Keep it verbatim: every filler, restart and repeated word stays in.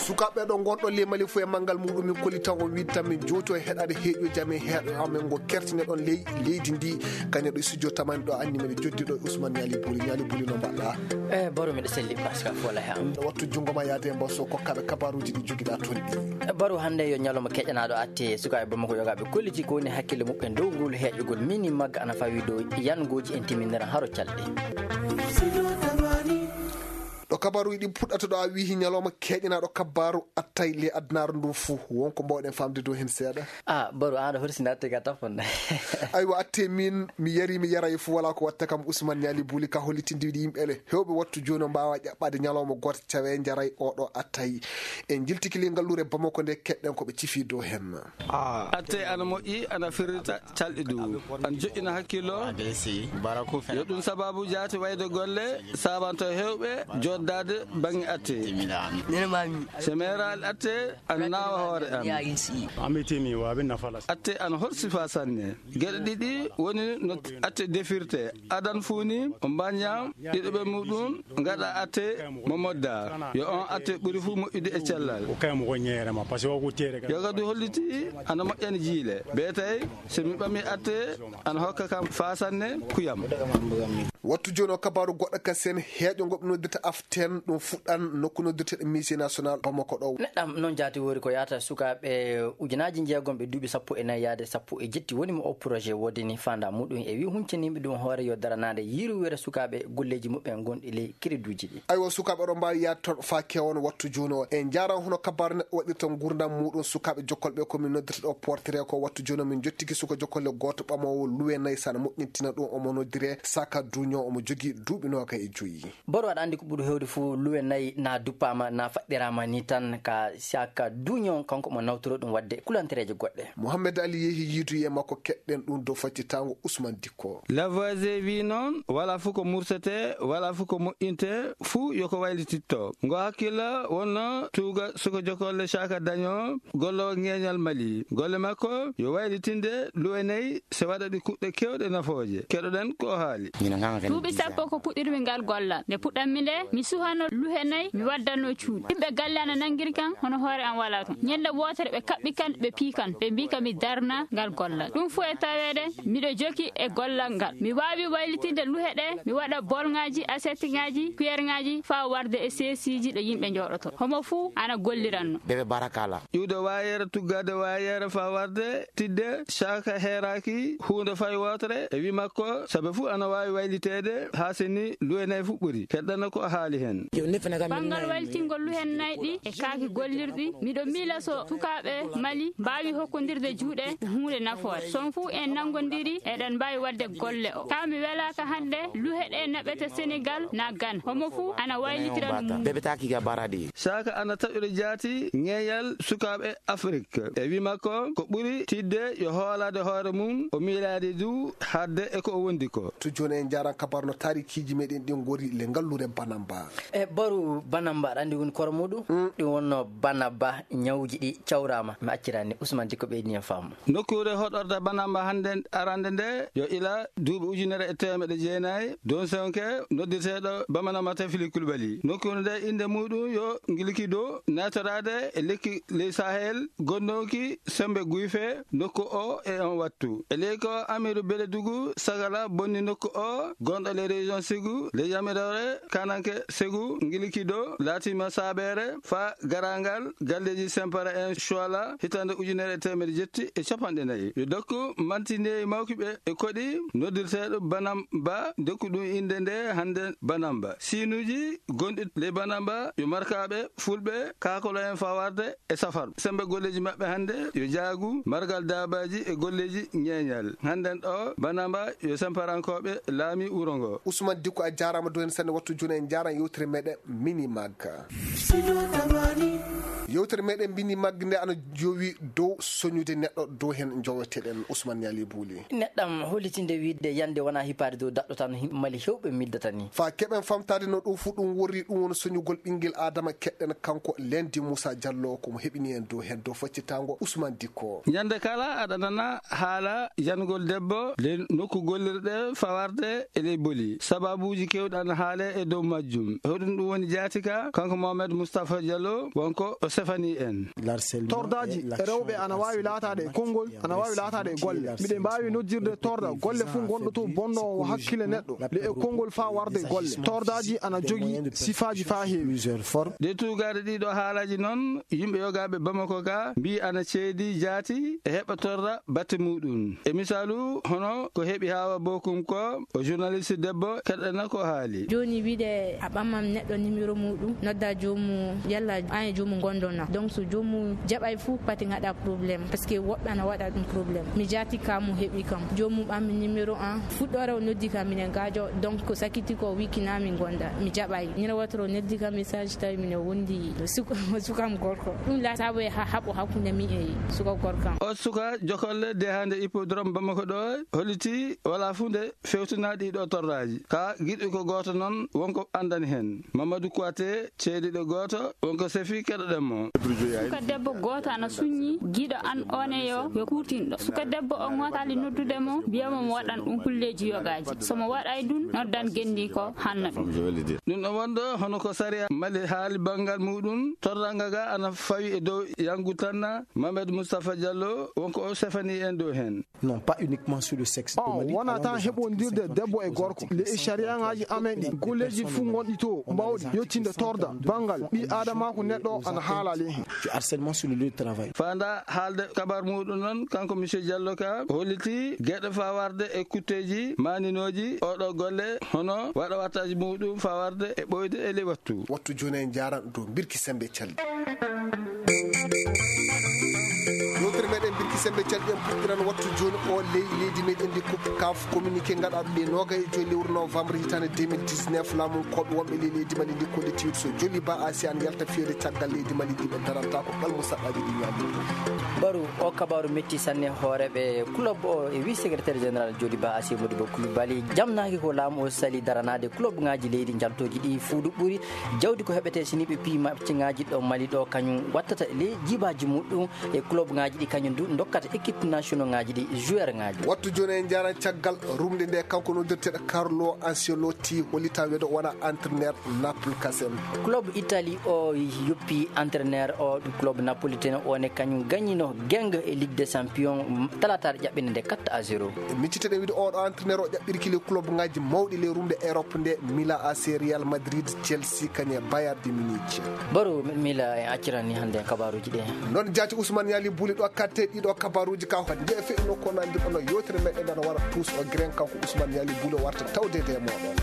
Sukaaɓe ɗo ngonɗo ley Mali fof e manngal muɗum, min kolli tan o wiide tan min jowto e heɗaade heeƴo jam e heeɗo amen ngo kertine ɗon ley leydi ndi. Kañum ɗo e studio tamani ɗo anni mami joddi ɗo e Ousmane Ñaali Buli. Ñaali Buli, no mbaɗɗa? E Baro, miɗo selli, Pascal Fola he am. Wattu junngo ma yaade e mbaso kokkaɓe kabaruuji ɗi jogiɗa toon ɗi. E Baro, hannde yo ñalawma keƴanaaɗo atte sukaaɓe Bamako yogaaɓe kolliti ko woni hakkille muɓɓen dow ngol heeƴogol mini magga ana fawi dow yangooji en timminiran haro calɗi. Ɗo kabaruuji ɗi puɗɗata ɗo a wihi ñalawma keƴanaaɗo kabaru attay le adnaaru ndu fuu, won ko mbawɗen famde dow heen seeɗa? A Baro, aɗa horsi natte ga tafon. Aywa, atte min mi yari mi yaray fuu wala ko watta kam. Ousmane Ñaali Buli ka hollitindi wiɗi yimɓe ele hewɓe wattu jooni o mbaawa ƴaɓɓaade ñalawma gooto cawe njaray oɗo attay. En jiltiki ley ngalluure Bamako nde keɗɗen ko ɓe cifi dow heen. Atte ana moƴƴi, ana firrita calɗi du, ana joƴƴina hakkillo. Yo ɗum sababu jaati wayde golle sabanto hewɓe joddaade baŋŋe atte. Semeral atte ana naawa hoore am. Atte ana hol sifa sanne. Geɗe ɗiɗi woni no atte defirte. Adan fuu ni o mbañña ɗiɗo ɓe muɗum ngaɗa atte mo modda. Yo on atte ɓuri fuu moƴƴude e cellal. Yoga du holliti ana moƴƴani jiile. Be tawi so mi ɓami atte ana hokka kam faa sanne kuyam. Wattu jooni o kabaru goɗɗo ka sen heeƴo ngo ɓe noddirta aften ɗum fuɗɗan nokku noddirteɗo musée national Bamako ɗo. Neɗɗam noon jaati woori ko yaata sukaaɓe ujunaaji jeegom ɓe duuɓi sappo e nayi yaade sappo e jetti woni mo o projet woodini fanda muɗum e wi huncaniɓe ɗum hoore yo daranaade yiruwere sukaaɓe golleeji muɓɓen gonɗi ley créditji ɗi. Aywa, sukaaɓe ɗo mbaawi yaade toon faa keewa no wattu jooni o. En njaaran hono kabaru neɗɗo waɗirta nguurndam muɗum sukaaɓe jokkolɓe ko min noddirta ɗo portrait ko. Wattu jooni o min jottiki suka jokkolle gooto ɓamoowo luwe nayi sana moƴƴintina ɗum omo noddire Saka Duño, omo jogii duuɓi nooka e joyi. Boro, aɗa anndi ko ɓuri heewde fof luwe nayi na duppaama na faɗɗiraama ni tan ka Saka Duño kanko omo nawtoro ɗum waɗde kulantereeje goɗɗe. Mohamed Ali yehi yiidu e makko keɗɗen ɗum dow faccitango Ousmane Dikko. Lavoisier wi noon wala fof ko mursete wala fof ko moƴƴinte, fuu yo ko waylititto ngo hakkilla wonno tuuga suka jokolle Saka Daño gollowo ŋeeñal Mali. Golle makko yo waylitinde luwe nayi se waɗa ɗi kuɗɗe kewɗe nafooje. Keɗoɗen ko o haali. Duuɓi sappo ko puɗɗirmi ngal gollal. Nde puɗɗanmi nde, mi suhano luhe nayi, mi waddanno cuuɗi. Yimɓe galle ana nanngiri kan, hono hoore am walaa toon. Ñande wootere ɓe kaɓɓi kan, ɓe pii kan, ɓe mbii ka mi darna ngal gollal. Ɗum fof e taweede miɗo joki e gollal ngal. Mi waawi waylitinde luhe ɗe, mi waɗa bolŋaaji, asettiŋaaji, kuyerŋaaji, faa warde e seesiiji ɗo yimɓe njooɗotoo. Homo fuu ana golliranno. Bebe barakala. Iwde waayeere, tuggaade waayeere faa warde tidde Saka heeraaki huunde fay wootere e wi makko, sabe fuu ana waawi wayliteede haa seni luwe nayi fuu ɓuri. Keɗɗana ko o haali heen. Banngal waylitingol luhen nayi ɗi e kaaki gollirɗi, miɗo miila so sukaaɓe Mali mbaawi hokkondirde juuɗe ko huunde nafoore. So on fuu en nanngondiri, eɗen mbaawi waɗde golle o. Kaa mi welaaka hannde luhe ɗe naɓete Senegal na Gana. Homo fuu ana waylitira no mum. Bebe taki ga baradi. Saka ana taƴude jaati ŋeeñal sukaaɓe Afrik. E wi makko, ko ɓuri tiiɗde yo hoolaade hoore mum, o miilaade du haaɗde e ko o wondi ko. To jooni en njaaran kabaru no taarikiiji meɗen ɗin ngori le ngalluure Banamba. E Baru Banamba, aɗa anndi woni koro muɗum? Mm. Ɗum wonno Banaba, ñawuuji ɗi cawraama. Mi accirani Ousmane Dikko ɓeydi en faamu. Nokkuure hoɗorde Banamba hannde arande nde yo ila duuɓi ujunere e teemeɗe jeenayi, Don Sonke, noddirteeɗo Bamana Matafili Kulbali. Nokkuure nde innde muɗum yo Ngilikido, naatoraade e lekki ley Sahel, gonnooki sembe guyfe nokku o e on wattu. E ley ko Amiru Beledugu Sagala bonni nokku o, gonɗo ley région Segu, ley yamiroore Kananke Segu, Ngilikido, laatima saabeere faa garaangal galleeji Sempara en Shuala, hitaande ujunere e teemedde jetti e cappanɗe nayi. Yo dokku mantineeji mawki ɓe e koɗi noddirteeɗo Banamba, dokku ɗum innde nde hannde Banamba. Siinuuji gonɗi ley Banamba yo markaaɓe, fulɓe, kaakolo en faa warde e safar. Sembe golleeji maɓɓe hannde yo jaagu, margal daabaaji e golleeji ñeeñal. Hannden ɗo Banamba yo semparankooɓe laami wuro ngo. Ousmane Dikko, a jaaraama dow heen sanne. Wattu jooni en njaaran yewtere meɗen Mini Mag. Yewtere meɗen Mini Mag nde ana jowi dow soñude neɗɗo, dow heen njoweteɗen Ousmane Ñaali Buuli. Neɗɗam hollitinde wiide yande wona hippaade dow daɗɗo tan him-, Mali hewɓe middata ni. Faa keɓen famtaade no ɗum fuu ɗum worri, ɗum woni soñugol ɓinngel Aadama, keɗɗen kanko Lendi Moussa Diallo, ko mo heɓini en dow heen dow faccitango Ousmane Dikko. Ñande kala aɗa nana haala yangol debbo ley nokku gollirɗe fawarde e ley boli. Sababuuji keewɗi ana haale e dow majjum. Hoɗum ɗum woni jaatika? Kanko Mohamed Moustapha Diallo, wonko o Sefani en. Tordaaji e rewɓe ana waawi laataade e konngol, ana waawi laataade e golle. Miɗen mbaawi noddirde torda golle fof ngonɗo to bonnoowo hakkille neɗɗo, le e konngol faa warde e golle. Tordaaji ana jogii sifaaji faa heewi. Nde tuugaade ɗiɗo haalaaji noon, yimɓe yogaaɓe Bamako ga mbii ana ceedi jaati e heɓa torda batte muɗum. E misaalu, hono ko heɓi Haawa Bokum ko, o journaliste debbo, keɗɗana ko haali. Jooni wiide a ɓamman neɗɗo numéro muɗum, nodda joomu, yalla an e joomu gondona. Donc so joomu jaɓay fuu, pati ngaɗa problème, parce que woɓɓe ana waɗa ɗum problème. Mi jaati ka mo heɓi kam. Joomu ɓammi numéro an, fuɗɗoore o noddi kam minen gaajo, donc ko sakiti ko wiki na min gonda, mi jaɓay. Ñande wotoro noddi kam message tawi minen wondi suka, sukam gorko. Ɗum la sabu e ha haɓo hakkunde mi e suka gorkam. O suka jokolle dehande hippodrome Bamako ɗo holliti wala fuu nde fewtinaɗi ɗo torraji. Ka giɗo ko gooto noon, wonko anndani heen. Mamadou Kouyaté, ceediɗo gooto, wonko sefi keɗoɗen mo. Suka debbo gooto ana suññi giɗo an one yo, yo kuutinɗo. Suka debbo o ŋootaali noddude mo, mbiya mo mo waɗan ɗum kulleeji yogaaji. So mo waɗay ɗum, noddan genndi ko hanna ɗum. Ɗum ɗo wonɗo hono ko sariya Mali haali banngal muɗum, torranga ga ana fawi e dow Yangu Tanna, Mamadou Moustapha Diallo, wonko o sefani en dow heen. Non, pas uniquement sur le sexe. On wona tan heɓondirde debbo e gorko. Le e sariyaŋaaji amen ɗi, golleeji fof ngonɗi to, mbawɗi yettinde torda banngal ɓii aadamaaku neɗɗo ana haala le heen. Du harcèlement sur le lieu de travail. Faanda haalde kabar muɗum noon, kanko monsieur Diallo ka holliti geɗe fawarde e kutteeji maaninooji oɗo golle, hono waɗa wattaaji muɗum fawarde e ɓooyde e ley wattu. Wattu jooni en njaaran dow mbirki sembe calɗi. Yewtere meɗen mbirki sembe calɗi en puɗɗiran wattu jooni o ley leydi meɗen ndi coupe kaf communiqué ngaɗaɗo ɗe noogay e joyi lewru novembre hitande deux mille dix-neuf. Laamu koɓe wonɓe ley leydi Mali ndi kolliti so joli ba asi an yalta fiyede caggal leydi Mali ndi ɓe daranta ko ɓalmu saɗɗaji ɗi ñaami. Baru o kabaru metti sanne hooreɓe club o e wi secrétaire général joli ba asi Modibo Koulibaly jamnaaki ko laamu o sali daranaade club ngaji leydi njaltoji ɗi fuudu ɓuri jawdi ko heɓete sini ɓe pii match ngaji ɗo Mali ɗo kañum wattata ley jibaji muɗum e club ngaji ɗi kañum du dokkata équipe national ngaji ɗi joueur ngaji. Wattu jooni en njaaran caggal rumde nde kanko noddirteɗo Carlo Ancelotti hollita weedo wona entraîneur Naples kasen. Club Italie o yoppi entraîneur o club napolitain o ne kañum gagnino geng e Ligue des Champions talataare ƴaɓɓinde nde quatre à zéro. Micciteɗen wiide oɗo entraîneur o ƴaɓɓirki le club ngaji mawɗi le rumde Europe nde Milan A C, Real Madrid, Chelsea kañe Bayern de Munich. Baro Mila en accirani hannde en kabaruji ɗe. Noon jaati Ousmane Yali Bouli ɗo katte ɗiɗo kabaruji ka hannde e fe'no ko nandirɗo no yewtere meɗen nana wara tous o gren kanko Ousmane Yali Bouli warta tawde de moɗon.